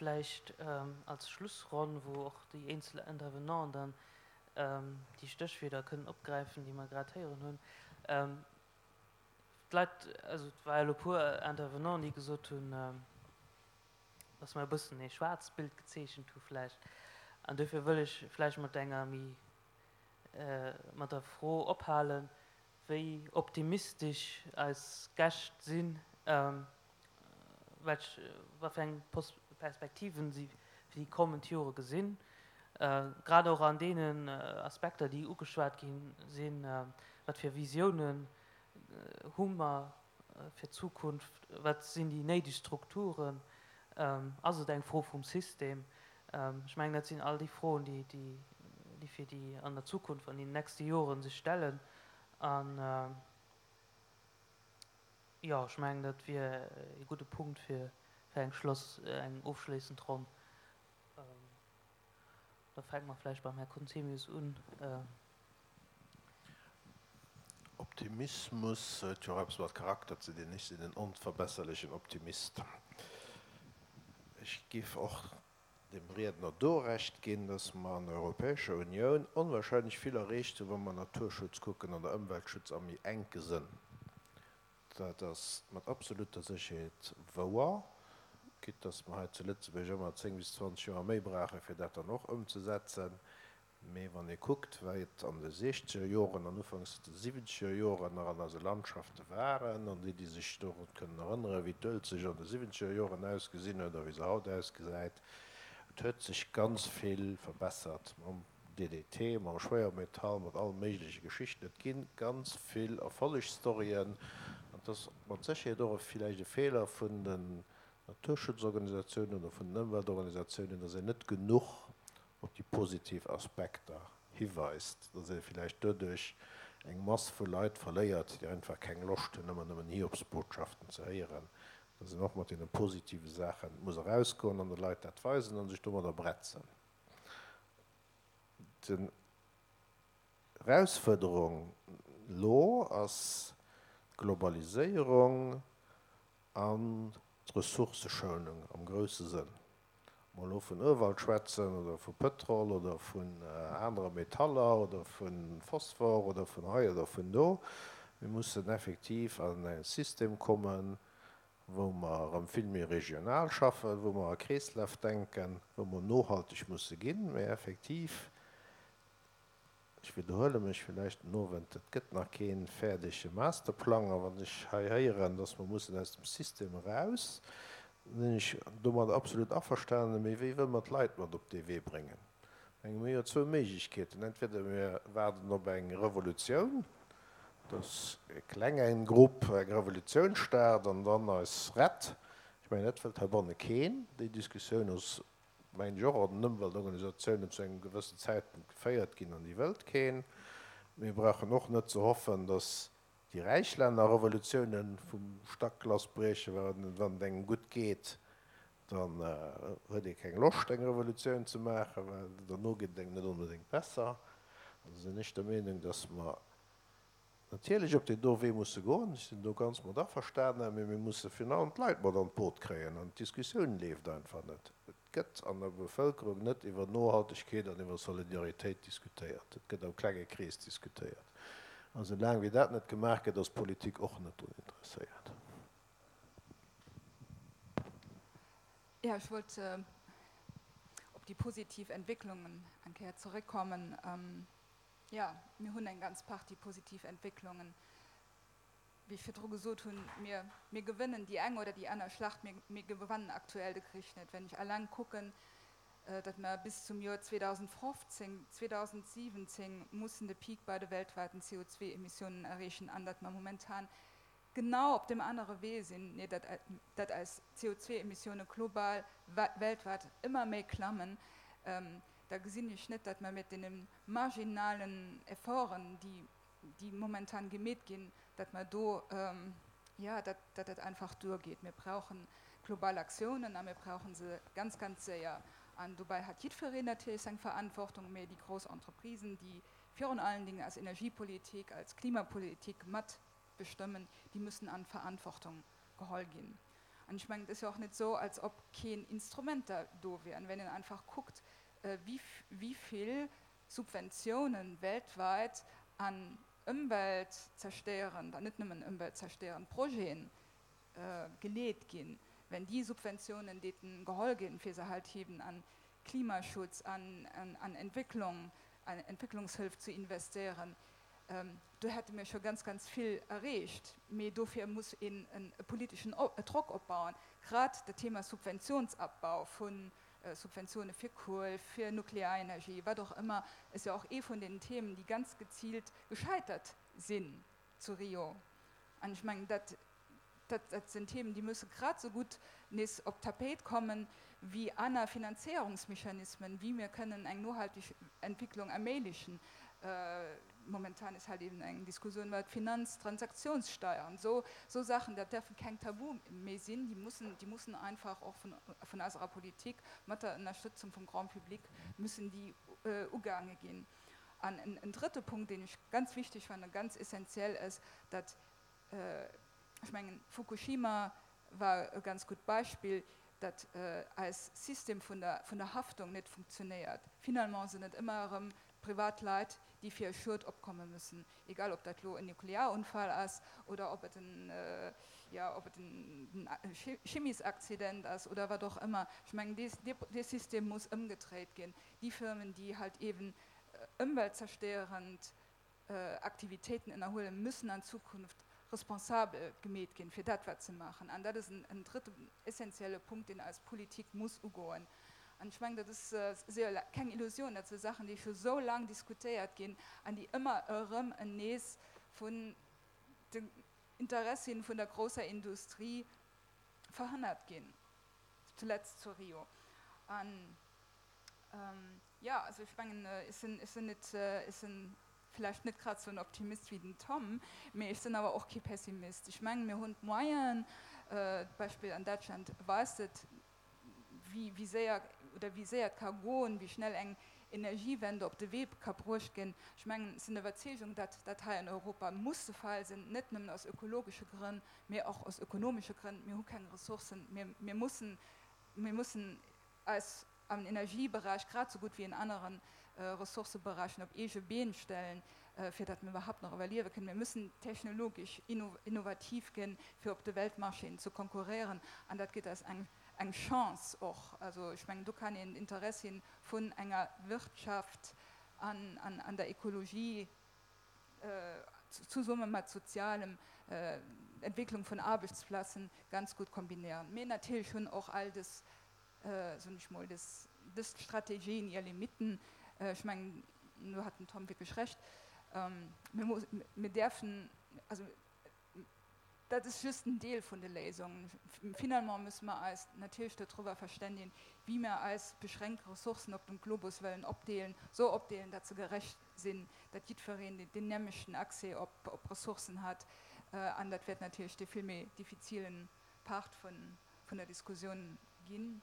Vläicht als Schlussronn, wou och déi eenzel Intervenanten dann déi Stéchwierder kënnen opgräifen, déi mer grad héieren hunn. D'Leit, also et war elo e puer Intervenanten, déi gesot hunn, dass mer e bëssen ee schwaarzt Bild gezeechent hu vläicht. An dofir wëll ech vläicht mat enger méi, mat der Fro ophalen, wéi optimistesch eis Gäscht sinn, welch, wat fir eng Perspektiven si fir déi kommend Jore gesinn, grad och an deenen Aspekter, déi ugeschwat gi sinn, wat fir Visiounen hu mer fir d'Zukunft, wat sinn déi néideg Strukturen, ass et eng Fro vum System? Ech mengen, dat sinn all déi Froen, déi fir déi an der Zukunft, an den nächste Joren sech stellen. An jo, ech mengen, dat wier e gudde Punkt fir eng Schloss, eng ofschléissend Ronn. Da fänke mer vläicht beim Här Conzemius un. Optimismus huet jo och eppes mat Charakter ze dinn. Ech sinn en onverbesserlechen Optimist. Ech géif och dem Riedner do Recht ginn, dass mer an der Europäescher Unioun onwahrscheinlech vill erreecht hunn, wa mer Naturschutz kucken oder Ëmweltschutz am méi enke Sënn. Dat ass mat absoluter Sécherheet wouer, quitte dass mer hei zu Lëtzebuerg ëmmer 10 bis 20 Joer méi brauchen, fir dat dann och ëmzesetzen. Mee wann ee kuckt, wéi et an de siechzeger Joren an ufanks de siwwenzeger Joren nach an eise Landschafte waren, an déi, déi sech dorun kënnen erënneren, wéi d'Uelzecht an de siwwenzeger Joren ausgesinn huet a wéi se haut ausgesäit, et huet sech ganz vill verbessert mam DDT, mam Schwéiermetall, mat alle méigleche Geschichten. Et gi ganz vill Erfollegsstoryen an et ass mat Sécherheet och villäicht e Feeler vun den Naturschutzorganisatiounen oder vun den Ëmweltorganisatiounen, dass een net genuch op déi positiv Aspekter hiweist, dass ee villäicht doduerch eng Mass vu Leit verléiert, déi einfach keng Loscht hunn, ëmmer nëmmen Hiobsbotschaften ze héieren, dass een och mat deene positive Saache muss erausgoen an de Leit dat weisen a sech domadder bretzen. D'Erausfuerderung elo ass d'Globaliséierung an d'Ressourcëschounung am grousse Sënn. Ob mer elo vun Urwald schwätzen oder vu Pëtrol oder vun anere Metaller oder vu Phosphor oder vun hei oder vun do, mir mussen effektiv an e System kommen, wou mer erëm vill méi regional schaffen, wou mer a Kreeslaf denken, wou mer nohalteg musse ginn, mä effektiv Ech widderhuele mech villäicht den Owend, et gëtt nach kee fäerdege Masterplang. A wann ech hei héieren, dass mer mussen aus dem System eraus, da sinn ech domadder absolut averstanen. Mee wéi wëlle mer d'Leit mat op dee Wee bréngen? Ech menge mir hu jo zwou Méiglechkeeten, Entweder mir waarden op eng Revolutioun, dass e klenge Grupp eng Revolutioun start an dann eis rett. Ech mengen, dat wëllt heibanne keen. Déi Diskussioun ass mengen ech, och an den Ëmweltorganisatiounen zu engem gewëssen Zäitpunkt geféiert ginn an déi wëllt keen. Mir brauchen och net ze hoffen, datt déi räich Länner Revolutiounen vum Stack lassbriechen, well wann et engem gutt geet, dann huet ee keng Loscht eng Revolutioun ze maachen, well derno geet et engem net onbedéngt besser. Also sinn ech der Meenung, datt mer natierlech op deen do Wee musse goen, ech sinn do ganz mat averstanen, mee mir musse virun allem d'Leit mat an d'Boot kréien an d'Diskussioun leeft einfach net. Et gëtt an der Bevëlkerung net iwwer Nohaltegkeet an iwwer Solidaritéit diskutéiert, et gëtt am klenge Krees diskutéiert. A sou laang wéi dat net gemaach gëtt, ass d'Politik och net drun interesséiert. Jo, ech wollt op déi positiv Entwécklungen eng Kéier zeréckkommen. Jo, mir hunn eng ganz Partie positiv Entwécklungen. Wéi ech virdru gesot hunn, mir, mir gewënnen déi eng oder déi aner Schlacht, mee mir gewannen aktuell de Krich net. Wenn ech eleng kucken, datt mer bis zum Joer 2015, 2017 mussen de Peak bei de weltweiten CO2-Emissiounen erreechen an datt mer momentan genau op deem anere Wee sinn, nee, datt, datt eis CO2-Emissioune global, weltweit ëmmer méi klammen, da gesinn ech net, datt mer mat deene marginalen Efforten, déi, déi momentan gemeet ginn, datt mer do, jo, datt, datt dat einfach duergeet. Mir brauche global Aktiounen a mir brauche se ganz, ganz séier. An dobäi hat jiddwereen natierlech seng Verantwortung, mä déi grouss Entreprisen, déi virun allen Dingen als Energiepolitik, als Klimapolitik mat bestëmmen, déi müssen an d'Verantwortung geholl ginn. An ech mengen, et ass jo och net esou, als ob keen Instrumenter do wieren. Wenn een einfach kuckt, wéi vill Subventiounen weltweit an ëmweltzerstéierend, an net nëmmen ëmweltzerstéierend Projeten geleet ginn, wenn déi Subventiounen deeten geholl ginn, fir se halt eben an Klimaschutz, an an Entwécklung, an Entwécklungshëlf ze investéieren, do hätte mir scho ganz, ganz vill erreecht. Mee dofir muss een e politeschen Drock opbauen. Grad dat Thema Subventionsabbau vu Subventioune fir Kuel, fir Nuklearenergie, wat och ëmmer, ass jo och ee vun den Themen, déi ganz geziilt gescheitert sinn zu Rio. An ech mengen, dat, dat sinn Themen, déi musse grad esou gutt nees op d'Tapéit kommen, wéi aner Finanzéierungsmechanismen, wéi mir kënnen eng nohalteg Entwicklung erméiglechen. Momentan ist halt eben eng Diskussion iwwer d'Finanztransaktionssteuer. Esou, esou Saachen, dat däerfe keng Tabu méi sinn, déi mussen, déi mussen einfach och vun, vun eiserer Politik mat der Ënnerstëtzung vum Grand public müssen déi ugaange ginn. An en, en drëtte Punkt, deen ech ganz wichteg fannen, ganz essentiell ass, datt, ech mengen, Fukushima war e ganz gutt Beispill, datt eis System vun der, vun der Haftung net funktionéiert. Finalement sinn et ëmmer erëm Privatleit, déi fir e Schued opkomme müssen, egal ob dat elo en Nuklearunfall ass oder ob et en, jo, ob et en Chimiesaccident ass oder wat och ëmmer. Ech mengen, dee, dee System muss ëmgedréit ginn. Déi Firmen, déi halt eeben ëmweltzerstéierend Aktivitéiten ënnerhuelen, müssen an Zukunft responsabel gemeet ginn fir dat, wat se maachen. An dat ass en drëtten essentielle Punkt, deen eis Politik muss ugoen. An ech mengen, dat ass jo keng Illusion, dat si Saachen, déi scho sou laang diskutéiert ginn an déi ëmmer erëm en nees vun den Interessien vun der grousser Industrie verhënnert ginn, zuletzt zu Rio. An Jo, also ech mengen, ech sinn, ech sinn net, ech sinn vläicht net grad esou en Optimist wéi den Tom, mee ech sinn awer och kee Pessimist. Ech mengen, mir hunn d'Moyenen, d'Beispill an Däitschland weist et, wéi, wéi séier oder wéi séier et ka goen, wéi schnell eng Energiewende op de Wee ka bruecht ginn. Ech mengen, ech sinn der Iwwerzeegung, datt dat hei an Europa muss de Fall sinn, net nëmmen aus ökologesche Grënn, mee och aus ökonomesche Grënn. Mir hu keng Ressourcen, mir, mir mussen, mir mussen eis am Energieberäich grad esou gutt wéi en anere Ressourcëberäichen op eege Been stellen, fir datt mir iwwerhaupt nach iwwerliewe kënnen. Mir müssen technologesch innovativ ginn, fir op de Weltmarchéen ze konkurréieren, an dat gétt eis eng eng Chance och. Also ech mengen, do kann een d'Interessien vun enger Wirtschaft an an der Ekologie zesumme mat sozialem Entwécklung vun Aarbechtsplazen ganz gutt kombinéieren. Mee natierlech hunn och all dës soen ech mol, dës Strategien hir Limiten. Ech mengen, do hat den Tom wierklech Recht. Mir däerfen, also dat ass just en Deel vun de Léisungen. Finalement musse mer eis natierlech dodriwwer verständigen, wéi mer eis beschränkt Ressourcen op dem Globus wëllen opdeelen, esou opdeelen, datt se gerecht sinn, datt jiddwereen deen nämlechten Accès op Ressourcen hat. An dat wäert natierlech dee vill méi diffizilen Part vun vun der Diskussioun ginn,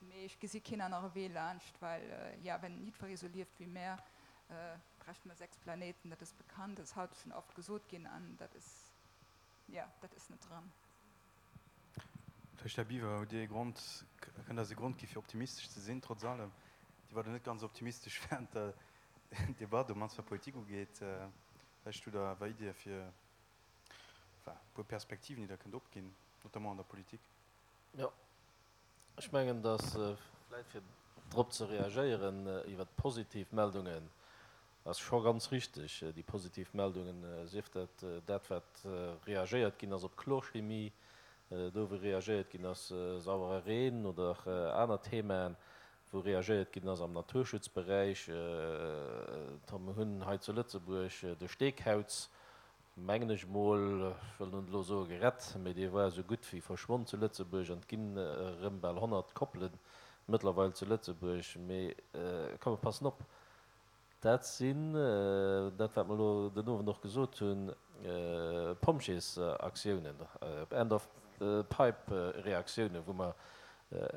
mee ech gesi keen anere Wee laanscht, well, jo, wenn jiddweree sou lieft wéi mär, bräichte mer 6 Planéiten, dat ass bekannt, dat ass haut schonn oft gesot ginn an dat ass, jo, dat ass net dran. Vläicht, Här Biwer, hutt Dir ee Grond, kënnt eis e Grond gi fir optimistesch ze sinn, trotz allem? Dir waart jo net ganz optimistesch während der Debatt, op mannst wat Politik ugeet. Vläicht hutt Der awer Iddie fir, enfin, e puer Perspektiven, déi Der kënnt opginn, notamment an der Politik. Jo, ech mengen, datt, vläicht fir drop ze reagéieren iwwert d'positiv Meldungen, ass scho ganz richtig, déi positiv Meldungen, sief dat dat, wat reagéiert ginn ass op Chlorchemie, do wou reagéiert ginn ass, sauere Reen oder aner Themaen, wou reagéiert ginn ass am Naturschutzberäich. Mir hunn hei zu Lëtzebuerg de Steekauz, mengen ech mol, ech wëll net elo soe gerett, mee dee war esou gutt wéi verschwonn zu Lëtzebuerg an et ginn erëm bal 100 Koppele mëttlerweil zu Lëtzebuerg. Mee komm, mer passen op, dat sinn dat, wat mer elo den Owend och gesot hunn, Pompjeesaktiounen, End-of-pipe-Reaktiounen, wou mer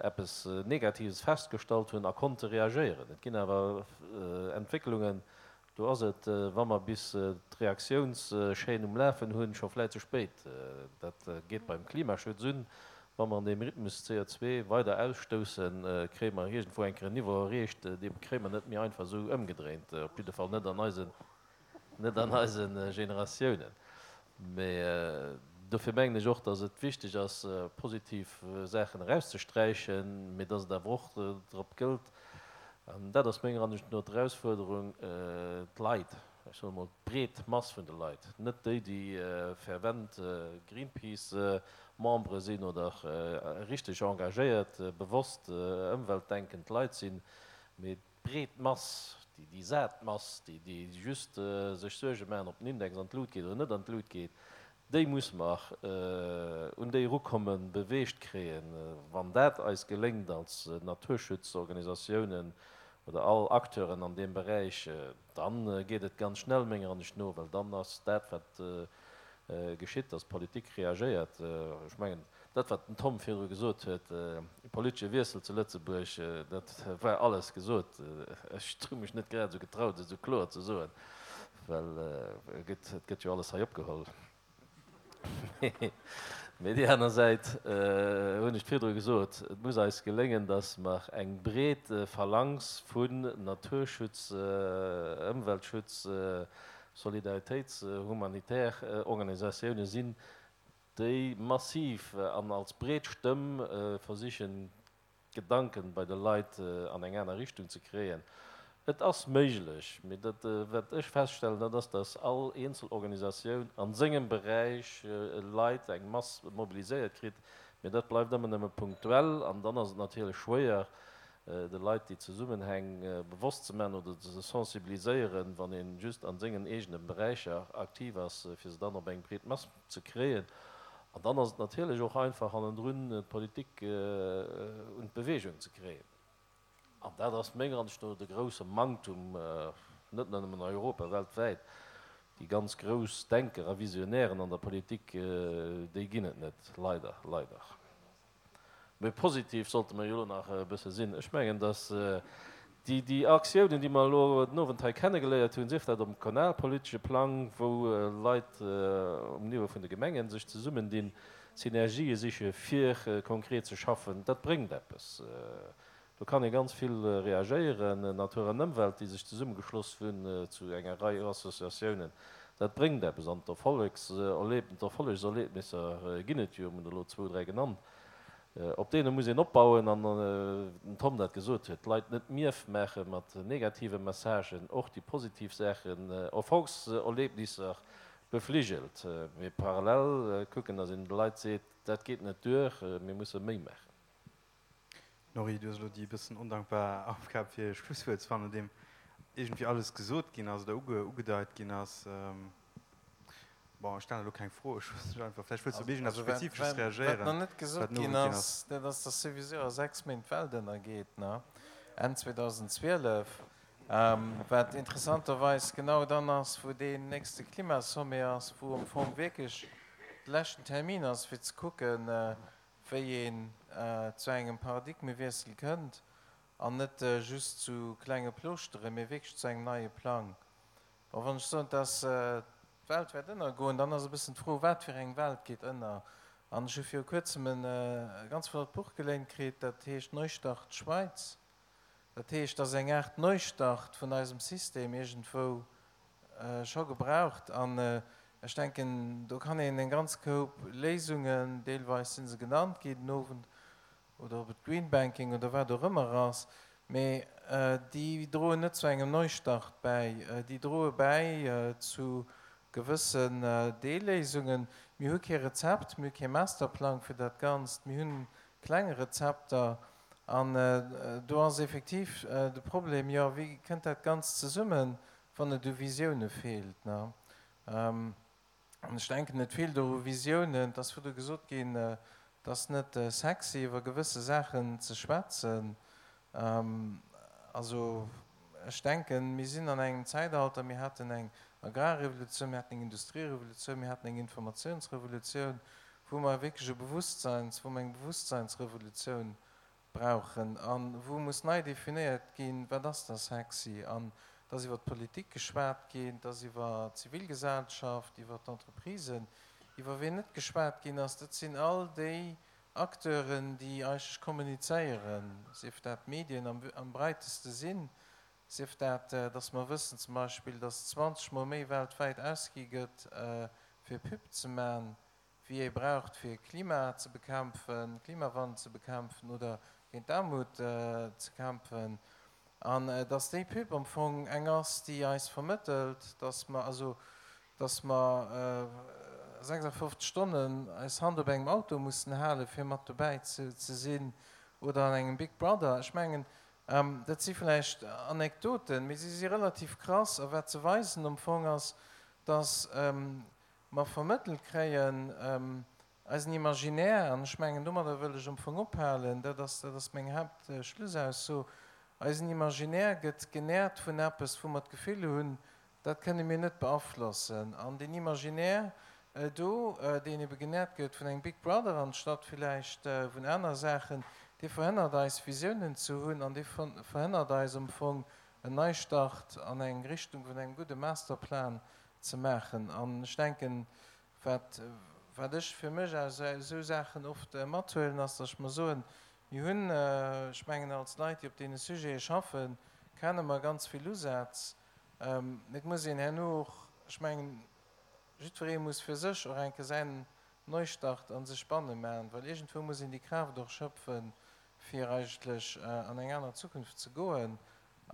eppes Negatives festgestallt hunn a konnte reagéieren. Et ginn awer Entwécklungen, Do ass et, wa mer bis d'Reaktiounschaîne um Lafen hunn, scho vläit ze spéit. Dat geet beim Klimaschutz un. Wa mer an deem Rhythmus CO2 weider ausstoussen, kréie mer iergendwou eng Kéier en Niveau erreecht, dee kréie mer net méi einfach esou ëmgedréint, op jidde Fall net an eisen, net an eise Generatiounen. Mä dofir mengen ech och, datt et wichteg ass, positiv Saachen erauszesträichen, mä datt et awer och drop gëllt, an dat ass menger Ansicht no d'Erausfuerderung, d'Leit, ech soen emol d'breet Mass vun de Leit, net déi, déi fervent Greenpeace-Membere sinn oder richteg engagéiert, bewosst ëmweltdenkend Leit sinn, mee d'breet Mass, déi sat Mass, déi just sech Suerge maachen, ob den Index an d'Lut geet oder net an d'Lut geet, déi muss mer un déi erukommen, beweegt kréien. Wann dat eis geléngt als Naturschutzorganisatiounen oder all Acteuren an deem Beräich, Dann geet et ganz schnell menger Ansicht no, well dann ass dat, wat geschitt, dass d'Politik reagéiert. Ech mengen, dat, wat den Tom virdru gesot huet, e politesche Wiessel zu Lëtzebuerg, dat war alles gesot. Ech hu mech net grad esou getraut, et esou kloer ze soen, well et gëtt jo alles hei opgeholl. Mee déi aner Säit hunn ech virdru gesot, et muss eis geléngen, datt mer eng breet Phalanx vun Naturschutz, Ëmweltschutz, Solidaritéits-, humanitär Organisatioune sinn, déi massiv an als breet Stëmm versichen, d'Gedanken bei de Leit an eng aner Richtung ze kréien. Et ass méiglech, mee dat wat ech feststellen, dat ass, datt all eenzel Organisatioun a sengem Beräich Leit, eng Mass mobiliséiert kritt, mee dat bleift ëmmer nëmme punktuell an dann ass et natierlech schwéier, de Leit déi Zesummenhäng bewosst ze maachen oder ze sensibiliséieren, wann ee just a sengen eegene Beräicher aktiv ass, fir se dann op eng breet Mass ze kréien. An dann ass et natierlech och einfach hannendrun d'Politik un d'Bewegung ze kréien. An dat ass menger Ansicht no de grousse Manktum, net nëmmen an Europa, weltwäit. Déi ganz grouss Denker a Visionären an der Politik, déi ginn et net, leider, leider. Mee positiv sollte mer jo elo nach e bësse sinn. Ech mengen, datt déi, déi Aktiounen, déi mer elo den Owend hei kennegeléiert hunn, sief dat um kommunalpolitesche Plang, wou Leit um Niveau vun de Gemengen sech zesummendinn, Synergië siche fir konkret ze schaffen, dat bréngt eppes. Do kann ee ganz vill reagéieren. Natur an Ëmwelt, déi sech zesummegeschloss hunn zu enger Rei Associatiounen, dat bréngt eppes. An d'Erfollegserlebnisser ginn et jo, mir hunn elo zwou, dräi genannt, op deene muss een opbauen. An den Tom dat gesot huet, d'Leit net mierf maache mat negative Messagen, och déi positiv Saachen, Erfolgserlebnisser befligelt, mee parallel kucken, datt een de Leit seet, dat geet net duer, mir musse méi maachen. Norry, du hues elo déi e bëssen ondankbar Aufgab fir e Schlusswuert ze fannen, nodeem iergendwéi alles gesot ginn ass oder ugedeit ginn ass. Bon, ech stellen elo keng Fro, ech loossen dech einfach, vläicht wëlls du op iergendeppes Spezifesches reagéieren, Wat nach net gesot ginn ass, dat ass, dass souwisou a 6 Méint d'Welt ënnergeet, ne? Enn 2012, wat interessanterweis genau dann ass, wou deen nächste Klimasommet ass, wou am Fong wierklech de leschten Termin ass, fir ze kucken, wéi een zu engem Paradigmewiessel kënnt an net just zu klenge Plooschteren, mee wierklech zu engem neie Plang. Bon, wann ech soen, dass d'Welt wäert ënnergoen, dann ass e bëssen d'Fro, wat fir eng Welt geet ënner? An ech hu viru kuerzem e ganz flott Buch geléint kritt, dat heescht Neustart Schweiz. Dat heescht, dass eng Aart Neustart vun eisem System iergendwou scho gebraucht. An ech denken, do kann een eng ganz Koup Léisungen, deelweis si se genannt ginn den Owend, oder ob et Green Banking oder wat och ëmmer ass, mee déi droen net zu engem Neustart bäi. Déi droe bäi zu gewëssen Deelléisungen. Mir hu kee Rezept, mir hu kee Masterplang fir dat Ganzt. Mir hunn kleng Rezepter. An do ass effektiv de Problem, jo, wéi kënnt dat Ganzt zesummen, wann et u Visioune feelt? An ech denken, et feelt och u Visiounen. Et ass virdru gesot ginn, et ass net sexy, iwwer gewësse Saachen ze schwätzen. Also ech denken, mir sinn an engem Zäitalter, mir haten eng Agrarrevolutioun, mir haten eng Industrierevolutioun, mir haten eng Informatiounsrevolutioun, wou mer wierklech e Bewusstseins, wou mer eng Bewusstseinsrevolutioun brauchen a wou muss nei definéiert ginn, wat ass da sexy. An et ass iwwer d'Politik geschwat ginn, et ass iwwer d'Zivilgesellschaft, iwwer d'Entreprisen. Iwwer wien net geschwat ginn ass, dat sinn all déi. Acteuren, déi eigentlech kommunizéieren, sief dat d'Medien am breiteste Sinn, sief dat, dass mer wëssen zum Beispill, dass 20 Mol méi weltwäit ausgi gëtt fir Pub ze man, wéi ee braucht fir Klima ze bekämpfen, Klimawandel ze bekämpfen oder géint d'Aarmut ze kämpfen, an dass déi Pub am Fong eng ass, déi eis vermëttelt, dass mer also, dass mer 56 Stonnen eis Hand op engem Auto mussen halen, fir mat dobäi ze sinn oder an engem Big Brother. Ech mengen, dat si vläicht Anekdoten, mee si si relativ krass a wat se weisen am Fong ass, dass mer vermëttelt kréien, eisen Imaginaire, an ech mengen, domadder wëll ech am Fong ophalen, dat ass, dat ass meng Haaptschlussausso, eisen Imaginaire gëtt genährt vun eppes, wou mer d'Gefill hunn, dat kënne mir net beaflossen. An deen Imaginaire do, deen ebe genährt gëtt vun engem Big Brother anstatt villäicht vun aner Saachen, dee verhënnert eis, Visiounen ze hunn an dee verhënnert eis am Fong, en Neistart an eng Richtung vun engem gudde Masterplan ze maachen. An ech denken, wat, wat ech fir mech aus esou Saachen oft mathuelen, ass, datt ech mer soen, mir hunn, ech mengen als Leit, déi op deene Sujete schaffen, kenne mer ganz vill Usätz. Mee et muss een herno och, ech mengen, jiddweree muss fir sech och eng Kéier säin Neustart a sech banne maachen, well iergendwou muss een déi Kraaft och schöpfen, fir eigentlech an eng aner Zukunft ze goen.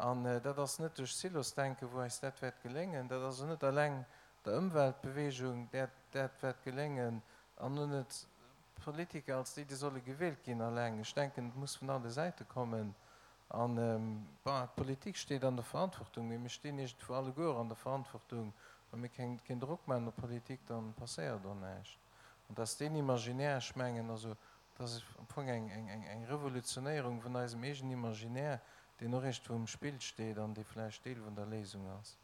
An dat ass net duerch Silosdenken, wou eis dat wäert geléngen. Dat ass och net eleng der Ëmweltbewegung, där dat wäert geléngen, an och net d'Politiker als déi, déi solle gewielt ginn, eleng. Ech denken, et muss vun alle Säite kommen. An, bon, d'Politik steet an der Verantwortung, mee mir stinn iergendwou alleguer an der Verantwortung. Wa mir keng, keen Drock maachen op d'Politik, da passéiert och näischt. An dass deen Imaginaire, ech mengen, also dat ass am Fong eng, eng, eng, eng Revolutionéierung vun eisem eegenen Imaginaire, deen och iergendwou um Spill steet an dee vläicht Deel vun der Léisung ass.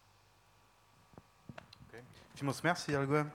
Okay. Villmools Merci alleguer.